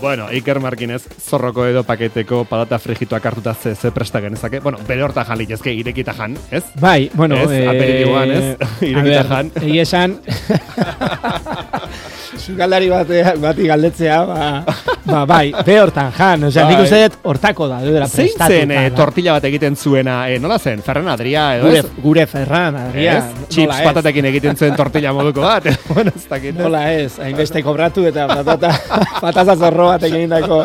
Bueno, Iker Markinez, zorroko edo paketeko patata frigituak hartuta ze presta genezake. Bueno, bere horta jan litezke, irekita jan, ez? Bai, bueno, aperitiboan, ez? Irekita jan. Egia esan, sukaldari bati galdetzea, bai, be hortan jan, osea, nik uste dut hortako da, dudera prestatuta. Zein zen tortilla bat egiten zuena, nola zen, Ferran Adria, edo ez? Gure Ferran Adria. Chips patatekin egiten zuen tortilla moduko bat, bueno, ez dakit. Nola ez, hainbeste kobratu eta patata zorro bat egindako.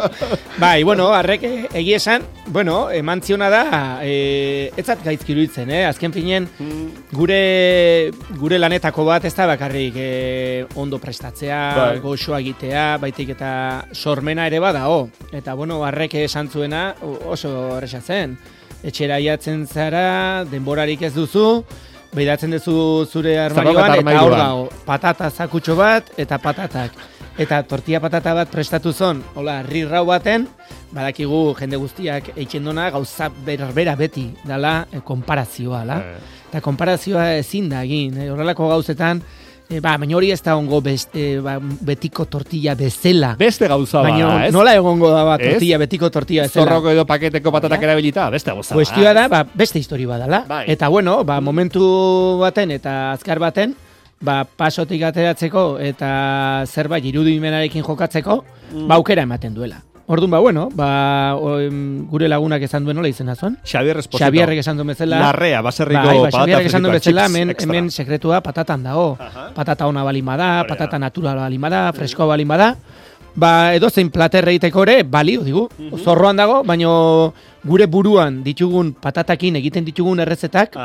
Bai, bueno, arrek egia esan, bueno, eman ziona da, etzat gaizki iruditzen, azken finen, gure lanetako bat ez da bakarrik ondo prestatzea, goxoa egitea, baitik eta sormena ere badao. Eta, bueno, arrek esan zuena oso erresa zen. Etxera iatzen zara, denborarik ez duzu, behidatzen duzu zure armarioan, eta hor dago, patata zakutxo bat, eta patatak. Eta tortilla patata bat prestatu zon, hola, rirrau baten, badakigu jende guztiak eitxendona gauza berbera beti, dala, konparazioa, la? Eta konparazioa ezin da egin, horrelako gauzetan, baina hori ez da ongo betiko tortilla bezala. Beste gauza baina, ez? Nola egongo da tortilla, betiko tortilla bezala. Zorroko edo paketeko patatak erabilita, beste gauza. Kuestioa da, beste historia badala. Eta bueno, momentu baten eta azkar baten, pasotik ateratzeko eta zerbait irudimenarekin jokatzeko, aukera ematen duela. Orduan, bueno, gure lagunak esan duen nola izena zuen. Xabier Esposito. Xabierrek esan duen bezala. Larrea, baserriko patata Xabierrek esan duen bezala, extra. hemen sekretua patatan dago. Patata ona balima da, patata natural balima da, freskoa balima da. Edozein plater egiteko ere, balio digu. Zorroan dago, baina gure buruan ditugun patatakin egiten ditugun errezetak,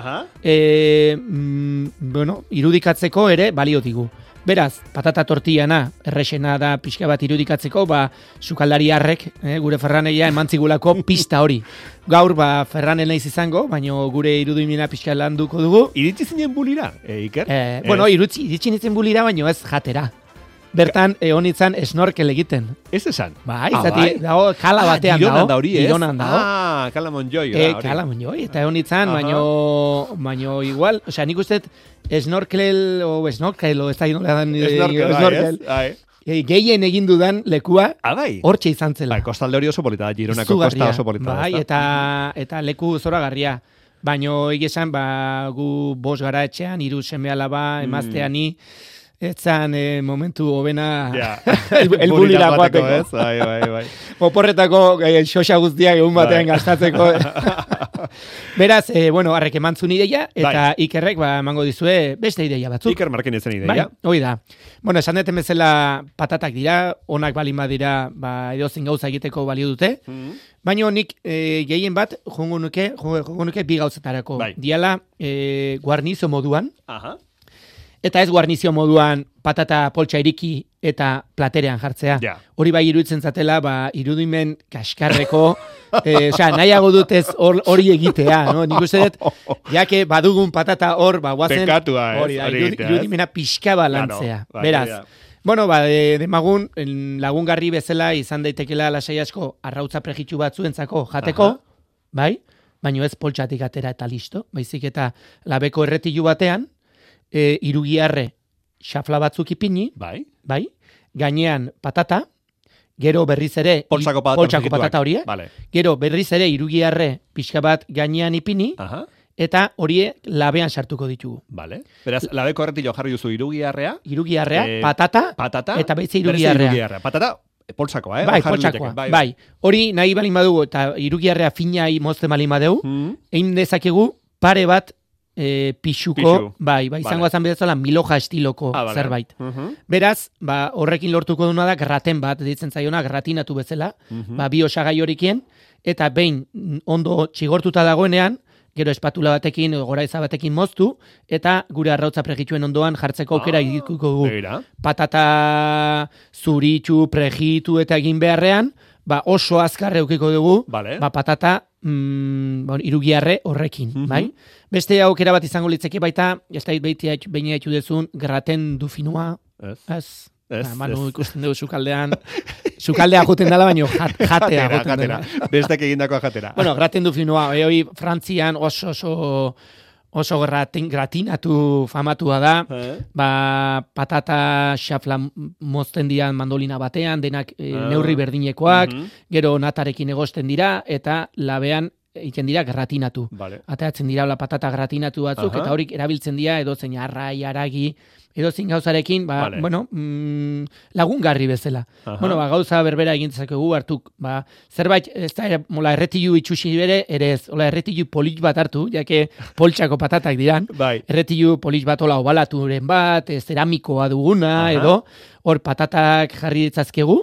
irudikatzeko ere balio digu. Beraz, patata tortillana, errexena da pixka bat irudikatzeko, sukaldari harrek, gure Ferraneia emantzigulako pista hori. Gaur, Ferranen naiz izango, baina gure irudimena pixka landuko dugu. Iritsi zinen bulira, Iker? Bueno, iritsi nintzen bulira, baina ez jatera. Bertan, honitzen snorkel egiten. Ez esan? Izati, dago, kala batean dago. Gironan dago. Kala Monjoi. Kala Monjoi, eta honitzen, baino igual, osea, nik uste snorkel, o ez da snorkel. Gehien egin dudan lekua, hortxe izan zela. Kostalde hori oso polita, Gironako kosta oso polita. Eta leku zoragarria. Baino, egesan, gu 5 gara etxean, 3 seme alaba, emazteani, etzan momentu hobena elbulira guateko. Bai. Oporretako xoxa guztiak egun batean gastatzeko. Beraz, harrek emantzun ideia, eta Ikerrek emango dizue beste ideia batzuk. Iker Markinezen ideia. Hoi da. Esan deten bezala patatak dira, onak balin badira, edozein gauza egiteko balio dute. Baina nik gehien bat jongo nuke bi gauzetarako. Diala guarnizio moduan. Eta ez guarnizio moduan patata poltsa iriki eta platerean jartzea. Hori bai iruditzen zatela, irudimen kaskarreko, nahiago dutez hori egitea, no? Nik uste dut, jake badugun patata hor, guazen, hori irudimena pixka balantzea. Beraz, demagun lagungarri bezala izan daitekela lasai asko arrautza prejitxu batzuentzako jateko, bai? Baina ez poltsatik atera eta listo, baizik eta labeko erretilu batean, irugiarre xafla batzuk ipini, bai, gainean patata, gero berriz ere poltsako patata horiek, gero berriz ere irugiarre pixka bat gainean ipini, eta horie labean sartuko ditugu. Beraz, labeko erretilo jarri duzu irugiarrea, patata, eta baitze irugiarrea. Patata, poltsakoa, Bai, poltsakoa, bai. Hori nahi balin badugu, eta irugiarrea finai mozten balin badeu, egin dezakegu pare bat pixuko, izango azan bedezola miloja estiloko zerbait. Beraz, horrekin lortuko duna da graten bat, ditzen zaiona, gratinatu bezala, bi osagai horikien, eta behin ondo txigortuta dagoenean, gero espatula batekin, goraiza batekin moztu, eta gure arrautza prejituen ondoan jartzeko aukera egituko dugu. Patata zuritxu, prejitu eta egin beharrean, oso azkar eukiko dugu, patata irugiarre horrekin, bai? Beste aukera bat izango litzeke baita, ez da behin haitu dezun, graten du finua, ez? Manu ikusten dugu sukaldean juten dela, baino jatea juten dela. Bestek egindakoa jatera. Graten du finua, hori Frantzian oso oso gratinatu famatua da, patata xafla mozten dira mandolina batean, denak neurri berdinekoak, gero natarekin egosten dira, eta labean egiten dira gratinatu. Vale. Ateratzen dira patata gratinatu batzuk, eta horik erabiltzen dira edozein arrai, aragi, edozein gauzarekin, lagungarri bezala. Bueno, gauza berbera egintzakegu hartuk, zerbait, ez da, erretilu itxusi bere, ere ez, erretilu polit bat hartu, jake poltsako patatak diran, erretilu polit bat obalaturen bat, zeramikoa duguna, edo, hor patatak jarri ditzazkegu,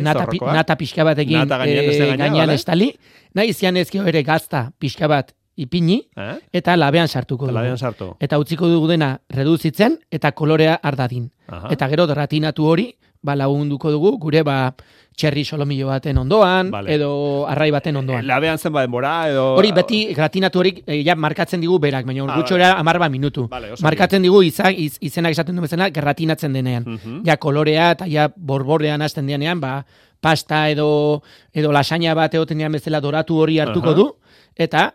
nata pixka batekin gainean estali, nahi zian ezkio ere gazta pixka bat ipini, eta labean sartuko dugu. Eta utziko dugu dena reduzitzen, eta kolorea ardadin. Eta gero gratinatu hori, lagunduko dugu, gure txerri solomillo baten ondoan, edo arrai baten ondoan. Labean zen denbora, edo... Hori beti gratinatu horik markatzen digu berak, baina gutxora 10 minutu. Markatzen digu izenak esaten du bezala, gratinatzen denean. Ja kolorea eta ja borbordean hasten denean, pasta edo lasaña bat egoten denean bezala doratu hori hartuko du, eta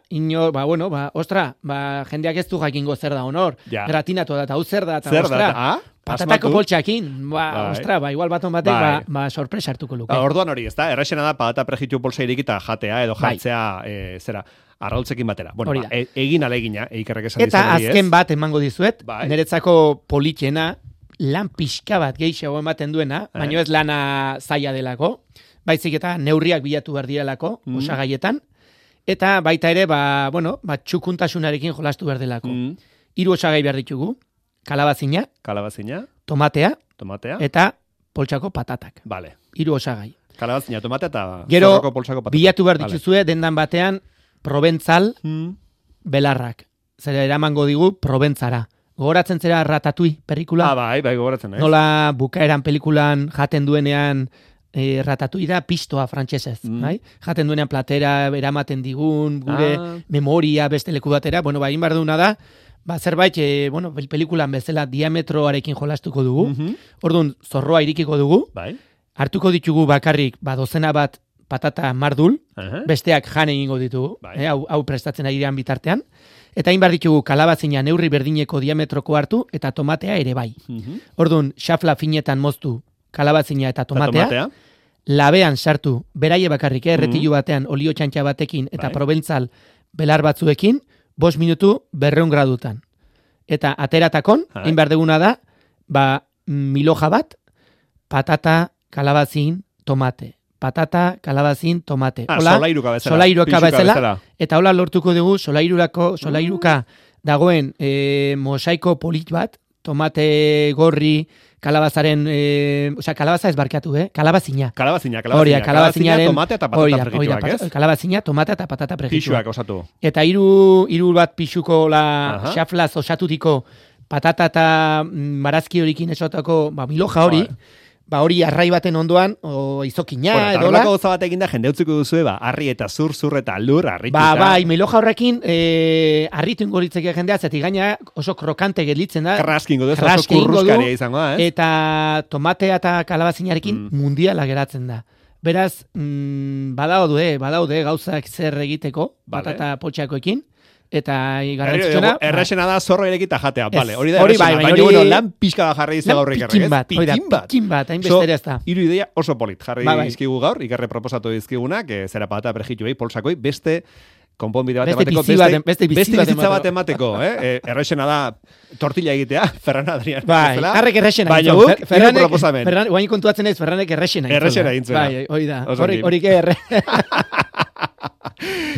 jendeak ez du jakingo zer da honor. Gratinatu da, eta hau zer da, eta patatako poltsakin, igual baton batek, sorpresa hartuko luke. Orduan hori, ez da, erraxena da, patata prejitu poltsa irikita jatea, edo jartzea, arraultzekin batera. Bueno, egin alegina, eikerrek esan eta azken bat emango dizuet, niretzako politxena, lan pixka bat geixago ematen duena, baina ez lana zaila delako, baizik eta neurriak bilatu behar direlako, osagaietan, eta baita ere, txukuntasunarekin jolastu behar delako. 3 osagai behar ditugu, kalabazina, tomatea, eta poltsako patatak. 3 osagai. Kalabazina, tomatea eta zorroko poltsako patatak. Gero, bilatu behar dituzue, dendan batean, proventzal belarrak. Zera eramango digu, proventzara. Gogoratzen zera Ratatouille pelikula? Bai, gogoratzen. Nola bukaeran pelikulan jaten duenean Ratatouille da pistoa frantsesez, bai? Jaten duenean platera eramaten digun, gure memoria beste leku batera. Bueno, egin behar duguna da, zerbait, pelikulan bezala diametroarekin jolastuko dugu. Orduan, zorroa irikiko dugu. Hartuko ditugu bakarrik, dozena bat patata mardul, besteak jan egingo ditugu, hau prestatzen ari dian bitartean. Eta hain behar ditugu kalabazina neurri berdineko diametroko hartu, eta tomatea ere bai. Orduan, xafla finetan moztu kalabazina eta tomatea. Labean sartu, beraie bakarrik, erretilu batean, olio txantxa batekin, eta proventzal belar batzuekin, 5 minutu 200 gradutan. Eta ateratakon, hain behar duguna da, miloja bat, patata, kalabazin, tomate. Patata, kalabazin, tomate. Solairuka bezala. Eta hola lortuko dugu, solairuka dagoen mosaiko polit bat, tomate gorri, kalabazaren, kalabaza ez barkatu, kalabazina. Kalabazina, tomate eta patata prejituak, ez? Kalabazina, tomate eta patata prejituak. Pixuak osatu. Eta hiru bat pixuko xaflaz osatutiko patata eta marazki horikin esotako miloja hori, hori arrai baten ondoan, izokina, edo la. Eta gauza bat eginda, jende utziko duzue, arri eta zur eta lur, arrituta. Miloja horrekin, arritu ingoritzeke jendea, zeti gaina oso krokante gelitzen da. Kraskingo du, oso kurruskaria izango da, Eta tomatea eta kalabazinarekin mundiala geratzen da. Beraz, badaude gauzak zer egiteko, patata poltsakoekin. Eta garrantzitsuna errexena da zorro irekita jatea, hori da errexena, baina lan pixka da jarri izu gaur ikerrek, pikin bat, hain bestera ez da. Hiru ideia oso polit, jarri izkigu gaur, ikerre proposatu dizkigunak, zera patata prejitu poltsakoi, beste konponbide bat emateko, beste bizitza bat emateko, errexena da tortilla egitea, Ferran Adrián. Harrek errexena baina guk, hiru proposamen. Guain kontuatzen ez, Ferranek errexena intzuna. Hori da, horik erre.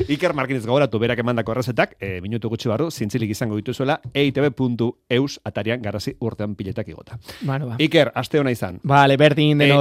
Iker Markinez gogoratu berak emandako errezetak, minutu gutxi barru, zintzilik izango dituzuela, eitb.eus atarian garrasi urtean piletak igota. Iker, aste hona izan. Berdin denoi.